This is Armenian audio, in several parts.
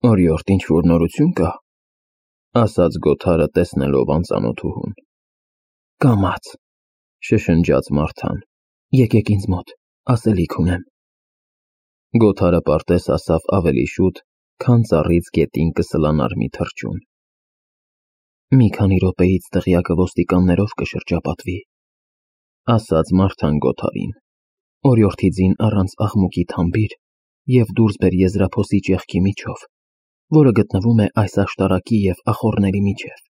Օրիորդ ինչ-որ նորություն կա, ասաց Գոթարը տեսնելով անծանոթուհուն։ Կամաց, շշնջաց Մարթան, եկեք ինձ մոտ, ասելիք ունեմ։ Գոթարը պարտես ասավ ավելի շուտ, քան ծառից գետին կսլանար մի թռչուն։ Մի քանի րոպեից դղյակը ոստիկաններով կշրջապատվի, ասաց Մարթան Գոթարին, օրիորդի ձին առանց աղմուկի թամբիր և դուրս բեր եզրափոսի ճեղքի միջով, որը գտնվում է այս աշտարակի և ախոռների միջև։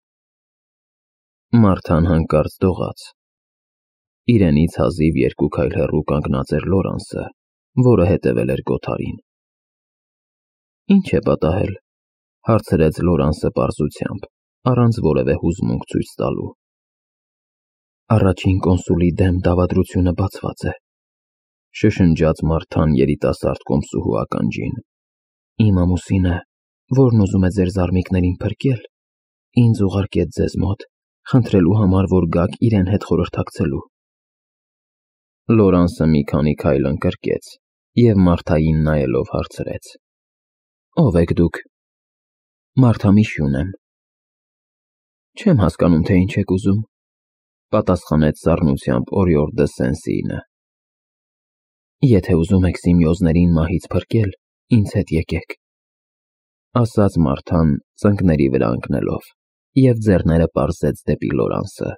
Մարթան հանկարծ դողաց։ Իրենից հազիվ 2 քայլ հեռու կանգնած էր Լորանսը, որը հետևել էր Գոթարին։ Ինչ է պատահել, հարցրեց Լորանսը պարզությամբ, առանց որևէ հուզմունք ցույց տալու։ Առաջին կոնսուլի դեմ դավադրությունը բացված է, շշնջաց Մարթան երիտասարդ կոմսուհու ականջին։ Իմ ամուսինը, որն ուզում է ձեր զարմիկներին փրկել, ինձ ուղարկեց ձեզ մոտ, խնդրելու համար, որ գաք իրեն հետ խորհրդակցելու։ Լորանսը մի քանի քայլ ընկրկեց և Մարթային նայելով հարցրեց. Ո՞վ եք դուք։ Մարթամիշյուն եմ։ Չեմ հասկանում, թե ինչ եք ուզում, պատասխանեց սառնությամբ օրիորդ դը Սեն-Սիինը։ Եթե ուզում եք Սիմեոզներին մահից փրկել, ինձ հետ եկեք, ասաց Մարթան ծնկների վրա ընկնելով, և ձեռները պարզեց դեպի Լորանսը։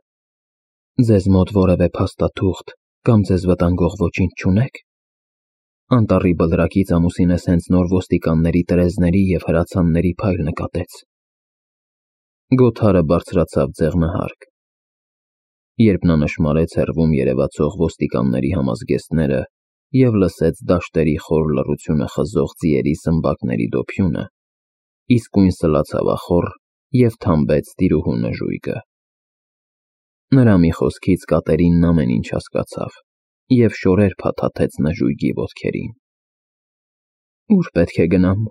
Ձեզ մոտ որևէ փաստաթուղթ կամ ձեզ վտանգող ոչինչ չունեք։ Անտառի բլրակից ամուսինս հենց նոր ոստիկանների տրեզների և հրացանների փայլ նկատեց։ Գոթարը բարձրացավ ձեղնահարկ։ Երբ նա նշմարեց հեռվում երևացող ոստիկանների համազգեստները և լսեց դաշտերի խոր լռությունը խզող ձիերի սմբակների դոփյունը, իսկույն սլացավ ախոռ և թամբեց տիրուհու նժույգը։ Նրա մի խոսքից Կատերինն ամեն ինչ հասկացավ և շորեր փաթաթեց նժույգի ոտքերին։ Ո՞ւր պետք է գնամ,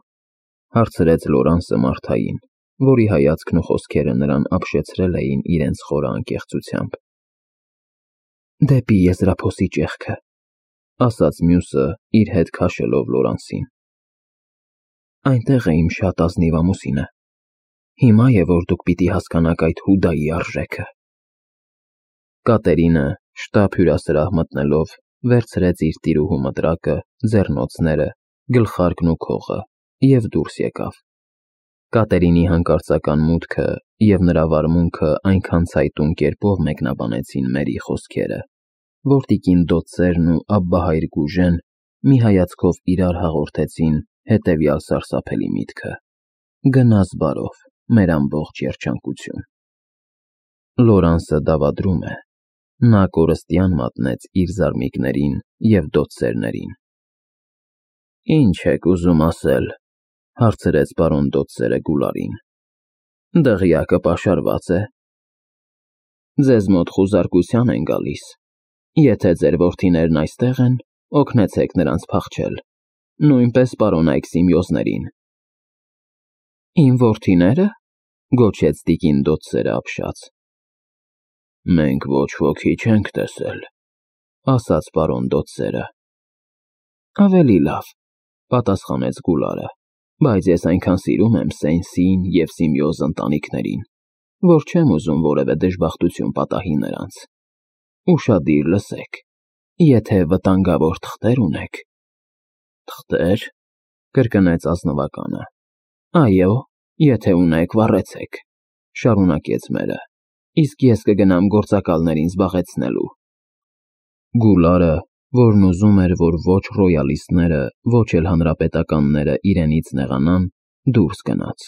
հարցրեց Լորանսը Մարթային, որի հայացքն ու խոսքերը նրան ապշեցրել էին իրենց խորը անկեղծությամբ։ Դեպի եզրափոսի ճեղքը, ասաց մյուսը, իր հետ քաշելով Լորանսին։ Այնտեղ է իմ շատ ազնիվ ամուսինը։ Հիմա է, որ դուք պիտի հասկանաք այդ Հուդայի արժեքը։ Կատերինը, շտապ հյուրասրահ մտնելով, վերցրեց իր տիրուհու մտրակը, ձեռնոցները, գլխարկն ու քողը և դուրս եկավ։ Կատերինի հանկարծական մուտքը և նրա վարմունքը այնքան ցայտուն կերպով մեկնաբանեցին Մերի խոսքերը, որ տիկին Դոցերն ու Աբբահայր Գուժեն մի հայացքով իրար հաղորդեցին հետևյալ սարսափելի միտքը. Գնաս բարով, մեր ամբողջ երջանկություն։ Լորանսը դավադրում է, նա կորստյան մատնեց իր զարմիկներին և Դոցերներին։ Ինչ եք ուզում ասել, հարցրեց պարոն Դոցերը Գուլարին։ Դղյակը պաշարված է։ Ձեզ մոտ խուզարկության են գալիս։ Եթե ձեր որդիներն այստեղ են, օգնեցեք նրանց փախչել, նույնպես պարոնայք Սիմեոզներին։ Իմ որդիները, գոչեց տիկին Դոցերը ապշած։ Մենք ոչ ոքի չենք տեսել, ասաց պարոն Դոցերը։ Ավելի լավ, պատասխանեց Գուլարը, բայց ես այնքան սիրում եմ Սեն-Սիին և Սիմեոզ ընտանիքներին, որ չեմ ուզում որևէ դժբախտություն պատահի նրանց։ Ուշադիր լսեք, եթե վտանգավոր թղթեր ունեք։ Թղթեր, կրկնեց ազնվականը։ Այո, եթե ունեք, վառեցեք, շարունակեց մերը, իսկ ես կգնամ գործակալներին զբաղեցնելու։ Գուլարը, որն ուզում էր, որ ոչ ռոյալիստները, ոչ էլ հանրապետականները իրենից նեղանան, դուրս գնաց։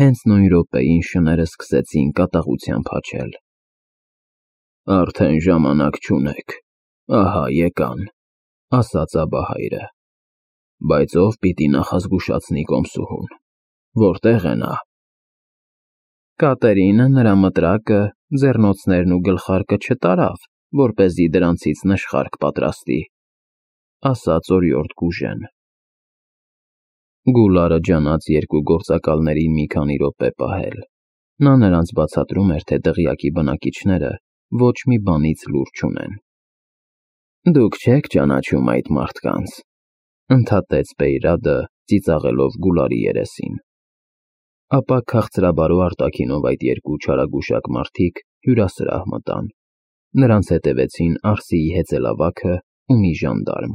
Հենց նույն րոպեին շները սկսեցին կատաղությամբ հաչել։ Արդեն ժամանակ չունեք, ահա եկան, ասաց Աբահայրը։ Բայց ով պիտի նախազգուշացնի կոմսուհուն, որտեղ է նա։ Կատերինը նրա մտրակը, ձեռնոցներն ու գլխարկը չտարավ, որպեսզի դրանցից նշխարք պատրաստի, ասաց օրիորդ Գուժեն։ Գուլարը ջանաց երկու գործակալներին մի քանի րոպե պահել։ Նա նրանց բացատրում էր, թե դղյակի բնակիչները ոչ մի բանից լուր չունեն։ Դուք չեք ճանաչում այդ մարդկանց, Ընդհատեց Բեյրադը, ծիծաղելով Գուլարի երեսին։ Ապա քաղցրաբարո արտաքինով այդ երկու չարագուշակ մարդիկ հյուրասրահ մտան։ Նրանց հետևեցին Արսիի հեծելավագը ու մի ժանդարմ։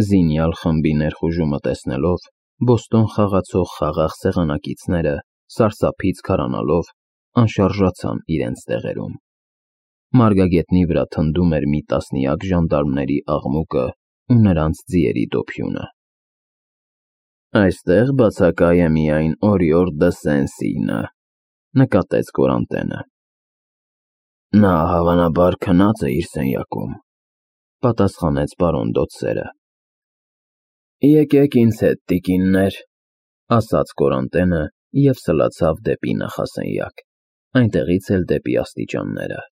Զինյալ խմբի ներխուժումը տեսնելով, Բոստոն խաղացող խաղաղ սեղանակիցները, սարսափից քարանալով, անշարժացան իրենց տեղերում։ Մարգագետնի վրա թնդում էր մի տասնյակ ժանդարմների աղմուկը ու նրանց ձիերի դոփյունը։ «Այստեղ բացակայ է միայն Օրիորդ դը Սեն-Սինը», նկատեց Կորանտենը։ «Նա հավանաբար քնած է իր սենյակում», պատասխանեց պարոն Դոցերը։ «Եկեք ինձ հետ, տիկիններ», ասաց Կորանտենը և սլացավ դեպի նախասենյակ, այնտեղից էլ դեպի աստիճանները։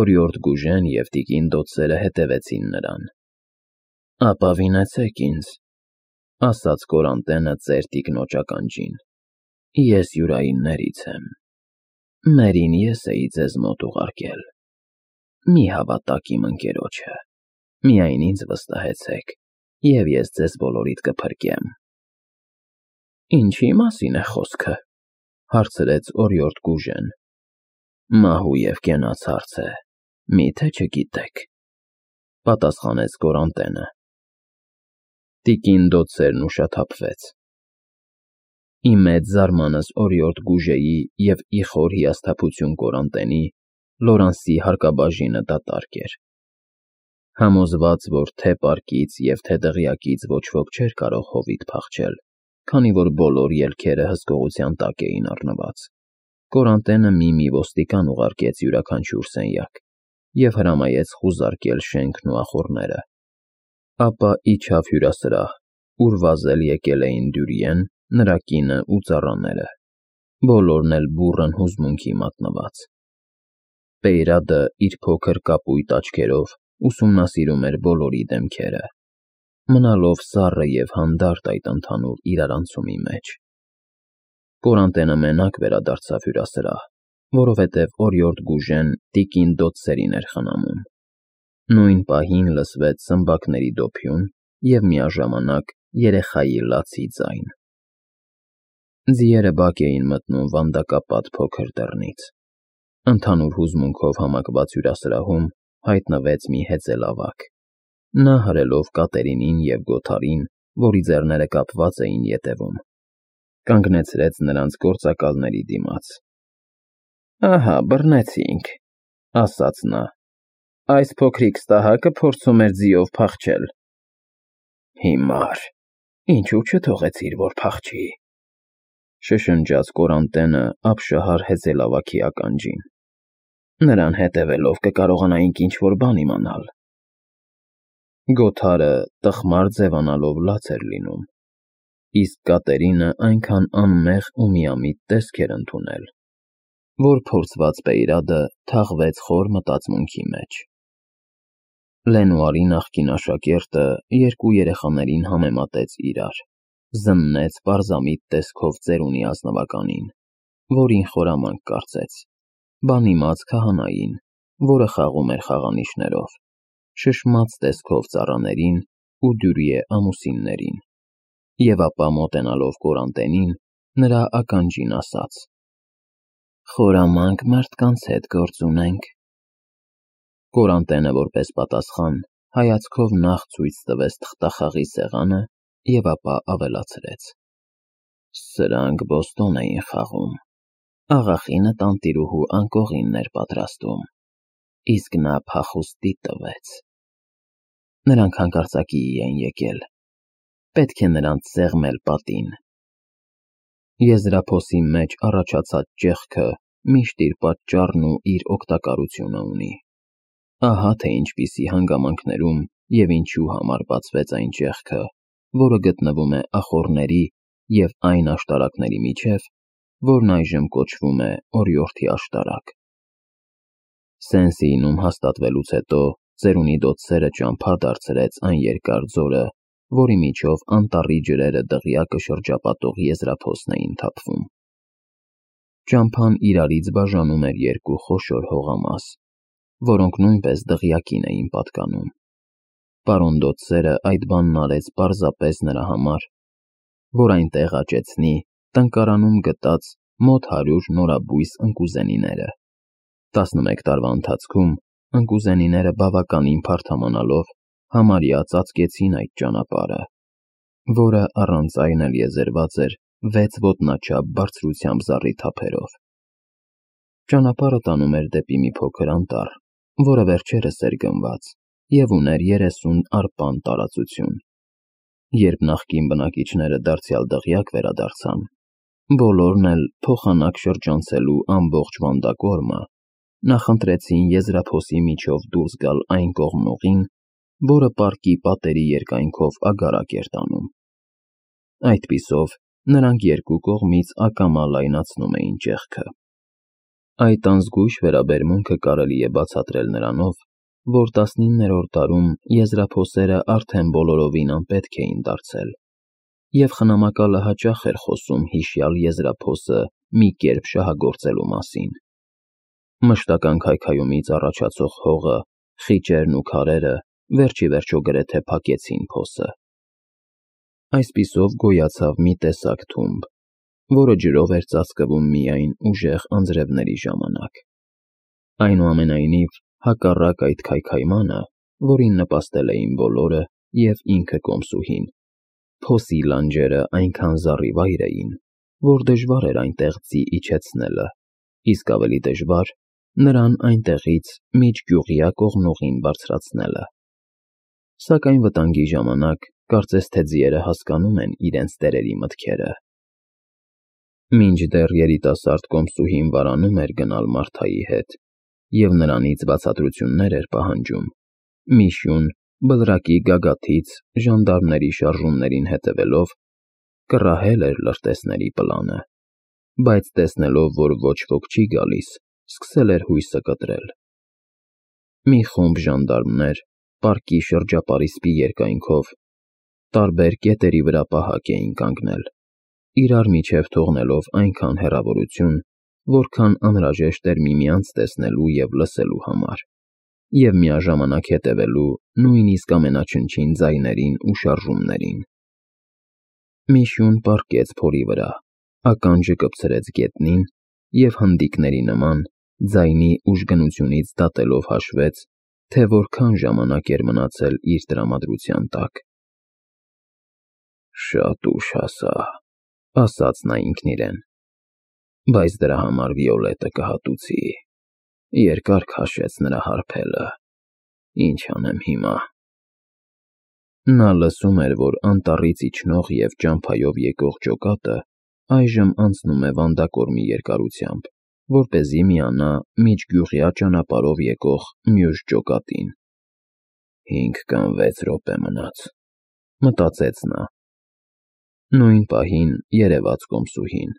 Օրիորդ Գուժեն և տիկին Դոցերը հետևեցին նրան։ «Ապավինեցեք ինձ», ասաց Կորանտենը ծեր տիկնոջ ականջին։ «Ես յուրայիններից եմ։ Մերին ես էի ձեզ մոտ ուղարկել։ Մի հավատաք իմ ընկերոջը, միայն ինձ վստահեցեք, և ես ձեզ բոլորիդ կփրկեմ»։ «Ինչի՞ մասին է խոսքը», հարցրեց Օրիորդ Գուժեն։ «Մահու և կենաց հարց է, մի՞թե չգիտեք», պատասխանեց Կորանտենը։ Տիկին Դոցերն ուշաթափվեց։ Ի մեծ զարմանս Օրիորդ Գուժեի և ի խոր հիասթափություն Կորանտենի, Լորանսի հարկաբաժինը դատարկ էր։ Համոզված, որ թե պարկից և թե դղյակից ոչ ոք չէր կարող հովիտ փախչել, քանի որ բոլոր ելքերը հսկողության տակ էին առնված, Կորանտենը մի ոստիկան ուղարկեց յուրաքանչյուր սենյակ և հրամայեց խուզարկել շենքն ու ախոռները։ Ապա իջավ հյուրասրահ, ուր վազել եկել էին Դյուրիեն, նրա կինը ու ծառաները, բոլորն էլ բուռն հուզմունքի մատնված։ Բեյրադը իր փոքր կապույտ աչքերով ուսումնասիրում էր բոլորի դեմքերը, մնալով սառը և հանդարտ այդ ընդհանուր իրարանցումի մեջ։ Կորանտենը մենակ վերադարձավ հյուրասրահ, որովհետև Օրիորդ Գուժեն տիկին Դոցերին էր խնամում։ Նույն պահին լսվեց սմբակների դոփյուն և միաժամանակ երեխայի լացի ձայն։ Ձիերը բակ էին մտնում վանդակապատ փոքր դռնից։ Ընդհանուր հուզմունքով համակված հյուրասրահում հայտնվեց մի հեծելավագ։ Նա հրելով Կատերինին և Գոթարին, որի ձեռները կապված էին ետևում, կանգնեցրեց նրանց գործակալների դիմաց։ «Ահա, բռնեցինք», ասաց նա։ «Այս փոքրիկ ստահակը փորձում էր ձիով փախչել»։ «Հիմար, ինչու չթողեցիր, որ փախչի», շշնջաց Կորանտենը ապշահար հեծելավագի ականջին։ «Նրան հետևելով կկարողանայինք ինչ-որ բան իմանալ»։ Գոթարը տխմար ձևանալով լաց էր լինում, իսկ Կատերինը այնքան անմեղ ու միամիտ տեսք էր ընդունել, որ փորձված Բեյրադը թաղվեց խոր մտածմունքի մեջ։ Լենուարի նախկին աշակերտը երկու երեխաներին համեմատեց իրար, զննեց պարզամիտ տեսքով ծերունի ազնվականին, որին խորամանկ կարծեց, բանիմաց քահանային, որը խաղում էր խաղանիշներով, շշմաց տեսքով ծառաներին ու Դյուրիե ամուսիններին, և ապա մոտենալով Կորանտենին, նրա ականջին ասաց. «Խորամանկ մարդկանց հետ գործ ունենք»։ Կորանտենը որպես պատասխան հայացքով նախ ցույց տվեց թղթախաղի սեղանը և ապա ավելացրեց. «Սրանք Բոստոն էին խաղում։ Աղախինը տանտիրուհու անկողինն էր պատրաստում, իսկ նա փախուստի տվեց։ Նրանք հանկարծակիի են եկել, պետք է նրանց սեղմել պատին»։ Եզրափոսի մեջ առաջացած ճեղքը միշտ իր պատճառն ու իր օգտակարությունը ունի։ Ահա թե ինչպիսի հանգամանքներում և ինչու համար բացվեց այն ճեղքը, որը գտնվում է ախոռների և այն աշտարակների միջև, որն այժմ կոչվում է Օրիորդի աշտարակ։ Սեն-Սինում հաստատվելուց հետո ծերունի Դոցերը ճամփա դարձրեց այն երկար ձորը, որի միջով անտառի ջրերը դղյակը շրջապատող եզրափոսն էին թափվում։ Ճամփան իրարից բաժանում էր երկու խոշոր հողամաս, որոնք նույնպես դղյակին էին պատկանում։ պարոնդոց սերը այդ բանն արեց պարզապես նրա համար, որ այնտեղ աճեցնի տնկարանում գտած մոտ 100 նորաբույս ընկուզենիները։ 11 տարվա ընթացքում ընկուզենիները բավականին փարթամանալով համարյա ծածկեցին այդ ճանապարհը, որը առանց այն էլ եզերված էր 6 ոտնաչափ բարձրությամբ զառիթափերով։ Ճանապարհը տանում էր դեպի մի փոքր անտառ, որը վերջերս էր գնված և ուներ 30 արպան տարածություն։ Երբ նախկին բնակիչները դարձյալ դղյակ վերադարձան, բոլորն էլ փոխանակ շրջանցելու ամբողջ վանդակորմը, նախընտրեցին եզրափոսի միջով դուրս գալ այն կողմնուղին, որը պարկի պատերի երկայնքով ագարակ էր տանում։ Այդպիսով նրանք երկու կողմից ակամա լայնացնում էին ճեղքը։ Այդ անզգույշ վերաբերմունքը կարելի է բացատրել նրանով, որ 19-րդ դարում եզրափոսերը արդեն բոլորովին անպետք էին դարձել, և խնամակալը հաճախ էր խոսում հիշյալ եզրափոսը մի կերպ շահագործելու մասին։ Մշտական քայքայումից առաջացող հողը, խիճերն ու քարերը վերջիվերջո գրեթե փակեցին փոսը։ Այսպիսով գոյացավ մի տեսակ թումբ, որը ջրով էր ծածկվում միայն ուժեղ անձրևների ժամանակ։ Այնուամենայնիվ, հակառակ այդ քայքայմանը, որին նպաստել էին բոլորը և ինքը կոմսուհին, փոսի լանջերը այնքան զառիվայր էին, որ դժվար էր այնտեղ ձի իջեցնելը, իսկ ավելի դժվար նրան այնտեղից միջգյուղյա կողմնուղին բարձրացնելը։ Սակայն վտանգի ժամանակ կարծես թե ձիերը հասկանում են իրենց տերերի մտքերը։ Մինչդեռ երիտասարդ կոմսուհին վարանում էր գնալ Մարթայի հետ և նրանից բացատրություններ էր պահանջում, Միշուն բլրակի գագաթից ժանդարմների շարժումներին հետևելով կռահել էր լրտեսների պլանը, բայց տեսնելով, որ ոչ ոք չի գալիս, սկսել էր հույսը կտրել։ Մի խումբ ժանդարմներ պարկի շրջապարիսպի երկայնքով տարբեր կետերի վրա պահակ էին կանգնել, իրար միջև թողնելով այնքան հեռավորություն, որքան անհրաժեշտ էր միմյանց տեսնելու և լսելու համար, և միաժամանակ հետևելու նույնիսկ ամենաչնչին ձայներին ու շարժումներին։ Միշուն պառկեց փորի վրա, ականջը կպցրեց գետնին և հնդիկների նման ձայնի ուժգնությունից դատելով հաշվեց, թե որքան ժամանակ էր մնացել իր տրամադրության տակ։ «Շատ ուշ հասա», ասաց նա ինքն իրեն, «բայց դրա համար Վիոլետը կհատուցի, երկար քաշեց նրա հարբելը, ինչ անեմ հիմա»։ Նա լսում էր, որ անտառից իջնող և ճամփայով եկող ջոկատը այժմ անցնում է վանդակորմի երկարությամբ, որպեսզի միանա միջգյուղյա ճանապարհով եկող մյուս ջոկատին։ 5 կամ 6 րոպե մնաց, մտածեց նա։ Նույն պահին երևաց կոմսուհին։